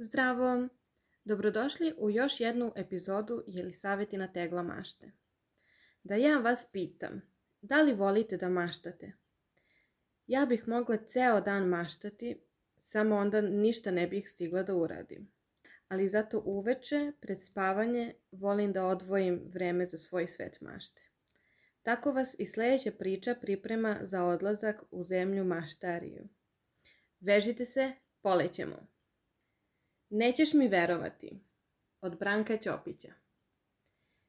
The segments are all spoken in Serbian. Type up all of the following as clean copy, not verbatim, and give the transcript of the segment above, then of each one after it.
Zdravo! Dobrodošli u još jednu epizodu Jelisavetina tegla mašte. Da ja vas pitam, da li volite da maštate? Ja bih mogla ceo dan maštati, samo onda ništa ne bih stigla da uradim. Ali zato uveče, pred spavanje, volim da odvojim vreme za svoj svet mašte. Tako vas i sljedeća priča priprema za odlazak u zemlju maštariju. Vežite se, polećemo! Nećeš mi verovati, od Branka Ćopića.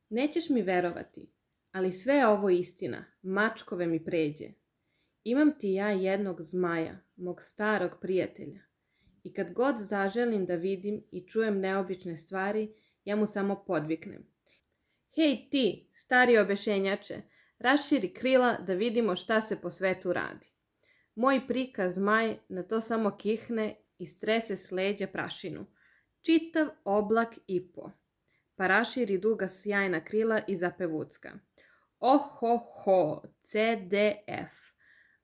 Nećeš mi verovati, ali sve je ovo istina, mačkove mi pređe. Imam ti ja jednog zmaja, mog starog prijatelja. I kad god zaželim da vidim i čujem neobične stvari, ja mu samo podviknem. Hej ti, stari obešenjače, raširi krila da vidimo šta se po svetu radi. Moj prika zmaj na to samo kihne i strese s leđa prašinu. Čitav oblak i po. Pa raširi duga sjajna krila i zapevucka. Ohoho, CDF.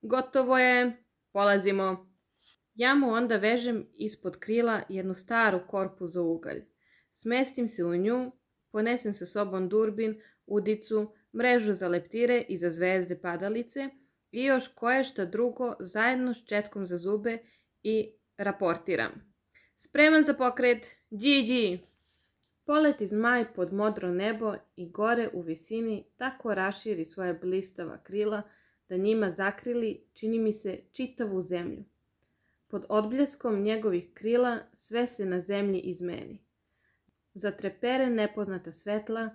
Gotovo je, polazimo. Ja mu onda vežem ispod krila jednu staru korpu za ugalj. Smestim se u nju, ponesem sa sobom durbin, udicu, mrežu za leptire i za zvezde padalice i još koješta drugo zajedno s četkom za zube i raportiram. Spreman za pokret, Điđi! Poleti zmaj pod modro nebo i gore u visini tako raširi svoje blistava krila da njima zakrili, čini mi se, čitavu zemlju. Pod odbljeskom njegovih krila sve se na zemlji izmeni. Zatrepere nepoznata svetla,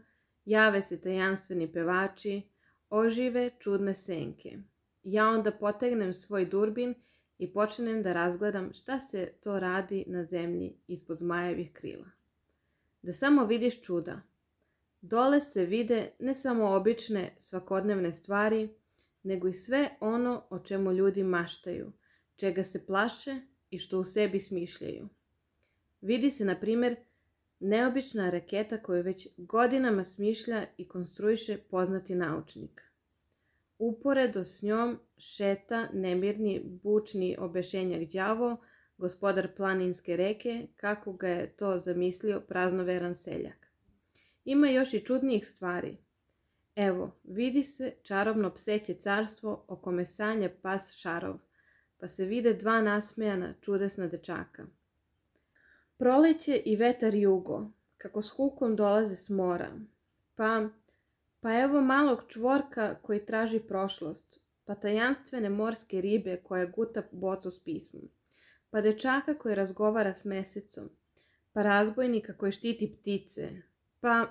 jave se tajanstveni pevači, ožive čudne senke. Ja onda potegnem svoj durbin i počnem da razgledam šta se to radi na zemlji ispod zmajevih krila. Da samo vidiš čuda. Dole se vide ne samo obične svakodnevne stvari, nego i sve ono o čemu ljudi maštaju, čega se plaše i što u sebi smišljaju. Vidi se, na primjer, neobična raketa koju već godinama smišlja i konstruiše poznati naučnik. Uporedo s njom šeta nemirni bučni obešenjak đavo, gospodar planinske reke, kako ga je to zamislio praznoveran seljak. Ima još i čudnijih stvari. Evo, vidi se čarobno pseće carstvo o kome sanja pas Šarov, pa se vide dva nasmejana čudesna dečaka. Proleće i vetar jugo, kako s hukom dolaze s mora, pa evo malog čvorka koji traži prošlost, pa tajanstvene morske ribe koja guta bocu s pismom, pa dečaka koji razgovara s mesecom, pa razbojnika koji štiti ptice, pa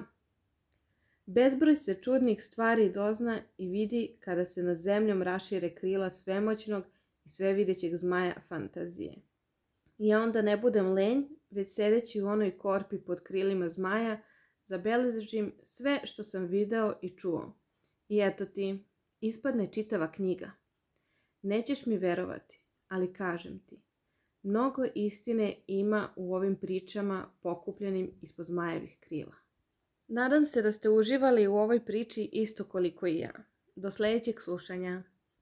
bezbroj se čudnih stvari dozna i vidi kada se nad zemljom rašire krila svemoćnog i svevidećeg zmaja fantazije. Ja onda ne budem lenj, već sedeći u onoj korpi pod krilima zmaja, zabeležim sve što sam video i čuo. I eto ti, ispadne čitava knjiga. Nećeš mi verovati, ali kažem ti, mnogo istine ima u ovim pričama pokupljenim ispod zmajevih krila. Nadam se da ste uživali u ovoj priči isto koliko i ja. Do sljedećeg slušanja.